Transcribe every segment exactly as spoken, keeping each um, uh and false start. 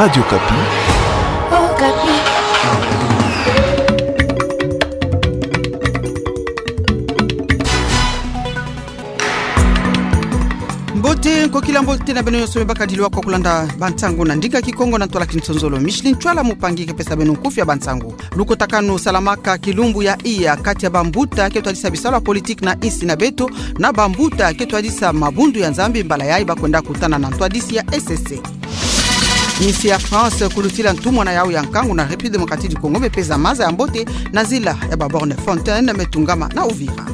Radio Okapi. Okapi. Mbote, nkokila mbote na beno nyonso me baka dilwa kwa kulanda bansangu na ndinga Kikongo na ntwala Kinsonzolo. Micheline Ntwala Mupangi ke pesa beno nkufi ya bansangu. Lukotakanu salamaka kilumbu ya iya kati ya bambuta ke twadisa bisalu ya politiki na insi na beto, na bambuta ke twadisa mabundu ya Nzambi, mbala yayi bakwenda kutana na ntwadisi ya E C C. Insi ya France kulutila ntumwa na yawu ya nkangu na République Démocratique du Congo, me peza maza ya mbote na nzila ya ba bornes fontaines me tungama na Uvira.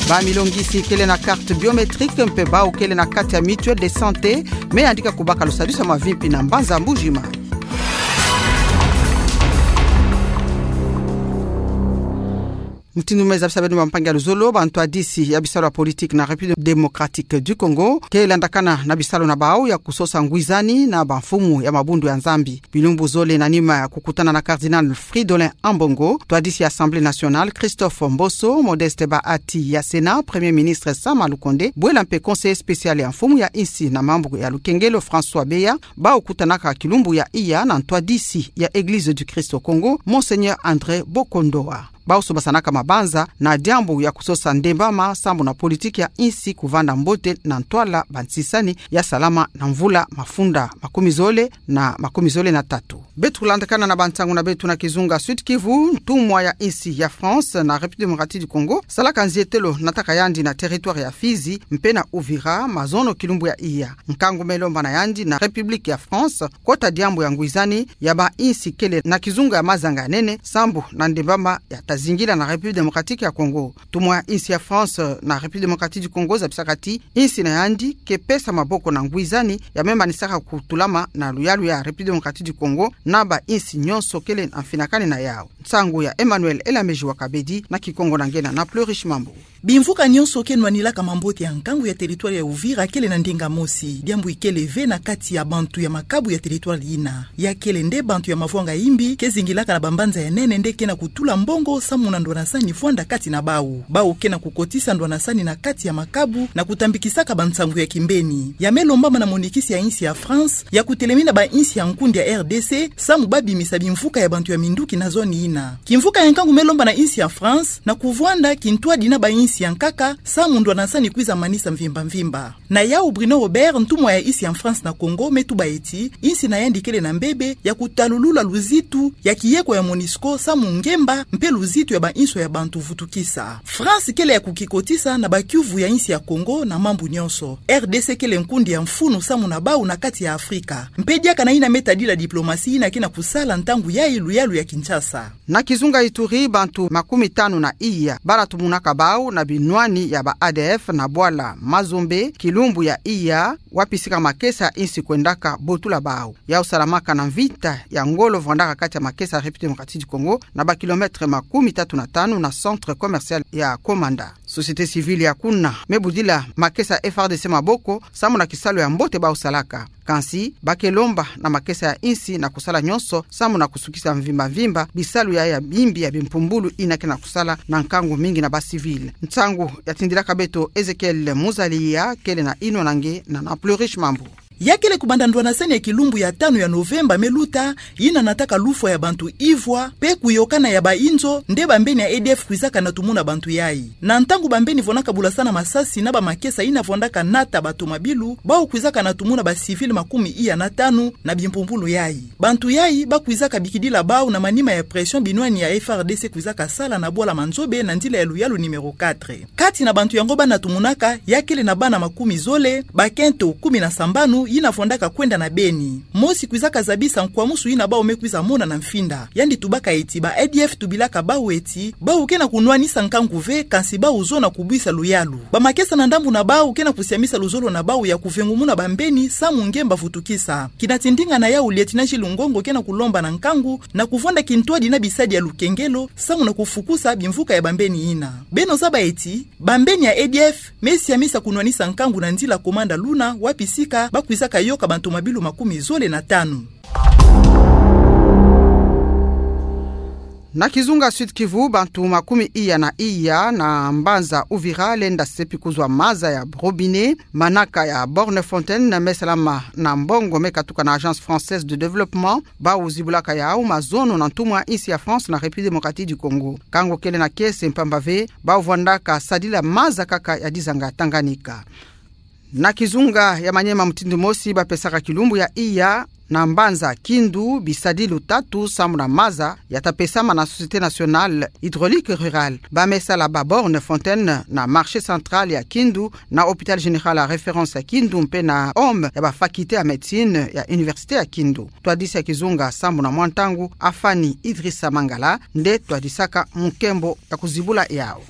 Bamilongisi kele na carte biométrique mpe bawu kele na kati ya mutuelle de santé me yandika kubaka lusadisu ya mavimpi na mbanza Mbuji-Mayi. Mutindu me zabisa beno, bampangi ya luzolo, bantwadisi ya bisalu ya politiki na République Démocratique du Congo ke landakana na bisalu na bawu ya kusosa ngwizani na bamfumu ya mabundu ya Nzambi. Bilumbu zole na nima ya kukutana na Cardinal Fridolin Ambongo, ntwadisi ya Assemblée nationale, Christophe Mboso, Modeste Bahati ya Sénat, Premier ministre Sama Lukonde, bwela mpe conseiller spécial ya mfumu ya insi na mambu ya lukengelo, François Beya, bawu kutanaka kilumbu ya iya na ntwadisi ya Église du Christ au Congo, Monseigneur André Bokondoa. Bawu sobasanaka mabanza na diambu ya kusosa ndembama sambu na politiki ya insi kuvanda mbote na ntwala bansisani ya salama na mvula mafunda makumi zole na makumi zole na tatu. Beto kulandakana na bansangu na beto na kizunga Sud-Kivu, ntumwa ya insi ya France na République Démocratique du Congo salaka nzietelo nataka yandi na territoire ya Fizi mpe na Uvira mazono kilumbu ya iya. Nkangu me lomba na yandi na République ya France kota diambu ya ngwizani ya bainsi kele na kizunga ya mazanga ya nene sambu na ndembama ya ta zingila na République Démocratique ya Congo. Ntumwa ya insi ya France na République Démocratique du Congo zabisaka ti insi na yandi ke pesa maboko na ngwizani ya me manisaka kutulama na luyalu ya République Démocratique du Congo na bainsi nyonso kele na mfinakani na yawu. Nsangu ya Emmanuel Elameji wa Kabedi, na Kikongo na nge na Plurish Mambu. Bimvuka nyonso ke nwanilaka mambote ya nkangu ya territoire ya Uvira kele na ndinga mosi. Diambu ikele ve na kati ya bantu ya makabu ya territoire yina. Ya kele nde bantu ya mavwanga imbi ke zingilaka na bambanza ya nene nde ke na kutula mbongo samu na ndwanasani vwanda kati na bawu. Bawu ke na kukotisa ndwanasani na kati ya makabu na kutambikisaka bansangu ya kimbeni. Ya me lombama na monikisi ya insi ya France ya kutelemina bainsi ya nkundi ya R D C samu babimisa bimvuka ya bantu ya minduki na zone yina. Kimvuka ya nkangu me lomba na insi ya France na kuvwanda kintwadi na bainsi ya nkaka samu ndwanasani kwiza manisa mvimba mvimba. Na yawu Bruno Robert, ntumwa ya insi ya France na Congo, me tuba eti insi na yandi kele na mbebe ya kutalulula luzitu ya kiyeko ya MONUSCO samu ngemba mpe luzitu ya bainswa ya bantu vutukisa. France kele ya kukikotisa na bakiuvu ya insi ya Congo na mambu nyonso. R D C kele nkundi ya mfunu samu na bawu na kati ya Afrika. Mpe diaka na yina me tadila diplomasi yina ke na kusala ntangu yayi luyalu ya Kinshasa. Na kizunga Ituri, bantu makumi tanu na iya bala tumunaka bawu na binwani ya ba A D F na bwala Mazombe kilumbu ya iya, wapi sika makesa ya insi kwendaka botula bawu. Yawu salamaka na mvita ya ngolo vwandaka kati ya makesa ya République Démocratique du Congo na ba kilomètre makumi tatu na tanu na centre commercial ya Komanda. Société civile ya kuna me budila makesa ya F A R D C maboko samu na kisalu ya mbote bawu salaka. Kansi ba ke lomba na makesa ya insi na kusala nyonso samu na kusukisa mvimba mvimba bisalu ya, ya bimbi ya bimpumbulu yina ke na kusala na nkangu mingi na ba civil. Nsangu ya tindilaka beto Ezekiel Muzaliya, kele na yinwa na nge na, na Plurish Mambu. Ya kele kubanda ndwanasani ya kilumbu ya tanu ya Novemba me luta, yina nataka lufwa ya bantu ivwa mpe kuyokana ya bainzo, nde bambeni ya A D F kwizaka na tumuna bantu yayi. Na ntangu bambeni vwandaka bulasana masasi na bamakesa yina vwandaka nata batomabilu, bawu kwizaka na tumuna ba civil makumi iya na tanu na bimpumbulu yayi. Bantu yayi ba kwizaka bikidila bawu na manima ya pression binwani ya F A R D C kwizaka sala na bwala Manzobe na nzila ya luyalu numéro quatre. Kati na bantu yango ba na tumunaka, ya kele na bana makumi zole, bakento kumi na sambanu yina vwandaka kwenda na Beni. Mosi kwizaka zabisa nkwamusu yina bawu me kwiza mona na mfinda. Yandi tubaka eti ba A D F tubilaka bawu eti bawu ke na kunwanisa nkangu ve, kansi bawu zona kubwisa luyalu. Bamakesa na ndambu na bawu ke na kusiamisa luzolo na bawu ya kuvengumuna bambeni samu ngemba vutukisa. Kina ti ndinga na yawu Lieutenant Gilles Ngongo ke na kulomba na nkangu na kuvwanda kintwadi na bisadi ya lukengelo samu na kufukusa bimvuka ya bambeni yina. Beno zaba eti bambeni ya A D F me siamisa kunwanisa nkangu na nzila Komanda Luna, wapi sika ba kwizaka yoka bantomabilu makumi zole na tanu. Na kizunga Sud-Kivu, bantu makumi iya na iya na mbanza Uvira lenda sepi kuzwa maza ya robinet. Manaka ya borne fontaine me salama na mbongo me katuka na Agence Française de Développement, bau zibulaka yau mazono na ntumwa insi ya France na République Démocratique du Congo. Kango kele na kiese mpamba ve bau vwandaka sadila maza kaka ya dizanga Tanganyika. Na kizunga ya Maniema, mutindu mosi bapesaka kilumbu ya iya na mbanza Kindu bisadilu tatu sambu na maza yata pesama na Société Nationale Hydraulique Rurale. Ba me sala ba borne fontaine na marché central ya Kindu, na Hôpital Général ya référence ya Kindu mpe na home ya ba faculté ya médecine ya université ya Kindu. Twadisi ya kizunga sambu na mwa ntangu, Afani Idrissa Mangala nde twadisaka mu nkembo ya kuzibula yau.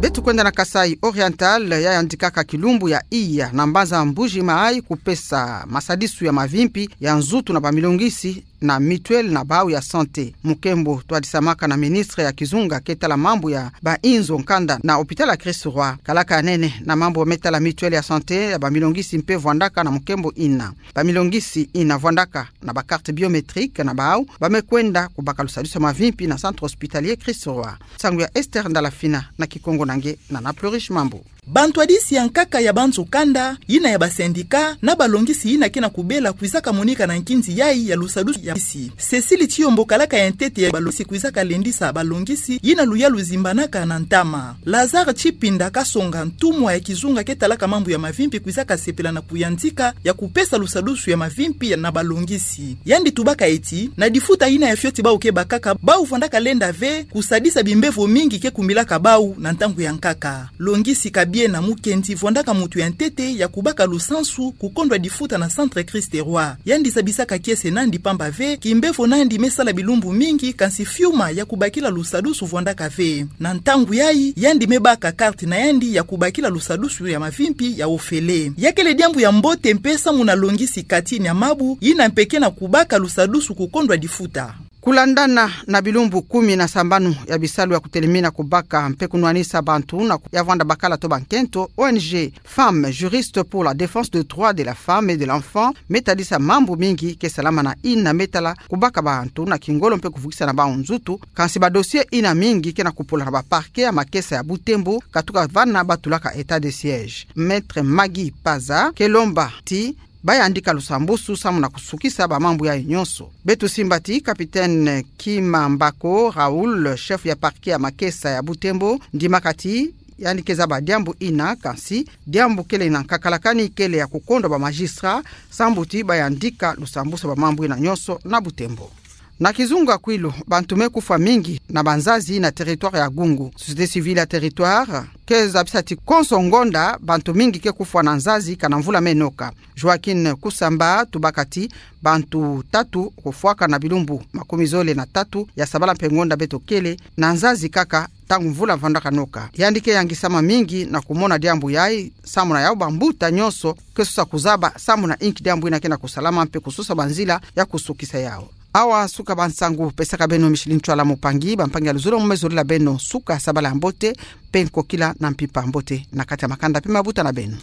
Beto kwenda na Kasaï Oriental, ya yandikaka kilumbu ya iya na mbanza Mbuji Mayi kupesa masadisu ya mavimpi ya nzutu na bamilongisi na mutuelle na bau ya santé. Mu nkembo twadisamaka na ministre ya kizunga ke tala mambu ya ba inzo nkanda na hôpital ya Christ-Roi. Kalaka ya nene na mambu me tala mutuelle ya santé ya bamilongisi mpe vwandaka na mu nkembo ina. Bamilongisi ina vwandaka na ba carte biométrique na bau ba me kwenda kubaka lusadisu ya mavimpi na centre hospitalier Christ-Roi. Nsangu ya Esther Ndalafina na Kikongo na nge na Nana Plurish Mambu. Bantwadisi ya nkaka ya banzo kanda, yina ya ba syndicat, na balongisi yina ke na kubela kwizaka monika na nkinzi yayi ya lusadisu ya bisi. Cécile Tshiyombo, kalaka ya ntete ya balongisi, kwizaka lendisa balongisi yina luyalu zimbanaka na ntama. Lazare Tshipinda Kasonga, ntumwa ya kizunga ke talaka mambu ya mavimpi, kwizaka sepela na kuyantika ya kupesa lusadisu ya mavimpi ya na balongisi. Yandi tubaka ti, na difuta yina ya fioti bau ke bakaka, bau vwandaka lenda ve kusadisa bimbevo mingi ke kumilaka bau na ntangu ya nkaka. Longisi Kabiena Mukendi vwandaka muntu ya ntete ya kubaka lusansu kukondwa difuta na centre Christ-Roi. Yandi zabisaka kiese nandi mpamba ve kimbevo nandi me sala bilumbu mingi, kansi fiuma ya kubakila lusadisu vwandaka ve. Na ntangu yayi, yandi me baka carte na yandi ya kubakila lusadisu ya mavimpi ya ofele. Ya kele diambu ya mbote mpe samu na longisi Katini Amabu, yina mpe ke na kubaka lusadisu kukondwa difuta. Kulandana na bilumbu kumi na sambanu ya bisalu ya kutelemina, kubaka mpe kunwanisa bantu na ku-, ya vwanda bakala to bankento, O N G Femmes Juristes pour la Défense des Droits de la Femme et de l'Enfant me tadisa mambu mingi ke salama na yina me tala kubaka bantu na kingolo mpe kuvukisa na bau nzutu, kansi ba dossier yina mingi ke na kupula na ba parquet ya makesa ya Butembo, katuka vana ba tulaka état de siège. Maître Maggie Paza ke lomba ti ba yandika lusambusu samu na kusukisa ba mambu yayi nyonso. Beto simba ti Capitaine Kimambako Raoul, chef ya parquet ya makesa ya Butembo, ndimaka ti yandi ke zaba diambu yina, kansi diambu kele na nkakalakani kele ya kukondwa ba magistrat, sambu ti ba yandika lusambusu ba mambu yina nyonso na Butembo. Na kizunga Kwilu, bantu me kufwa mingi na banzazi na territoire ya Gungu. Société civile ya territoire ke zabisa ti konso ngonda bantu mingi ke kufwa na nzazi kana mvula me noka. Joaquin Kusamba tubaka ti bantu tatu kufwaka na bilumbu makumi zole na tatu ya sabala mpe ngonda beto kele na nzazi kaka ntangu mvula vandaka noka. Yandi ke yangisama mingi na kumona diambu yayi, samu na yau bambuta nyonso ke sosa kuzaba samu na inki diambu yina ke na kusalama mpe kusosa banzila ya kusukisa yau. Awa suka bansangu, pesaka beno Micheline Ntwala Mupangi bampangi ya luzolo mu me zolila beno suka sabala ya mbote, mpe nkokila na mpimpa mbote na kati ya makanda mpe mabuta na beno.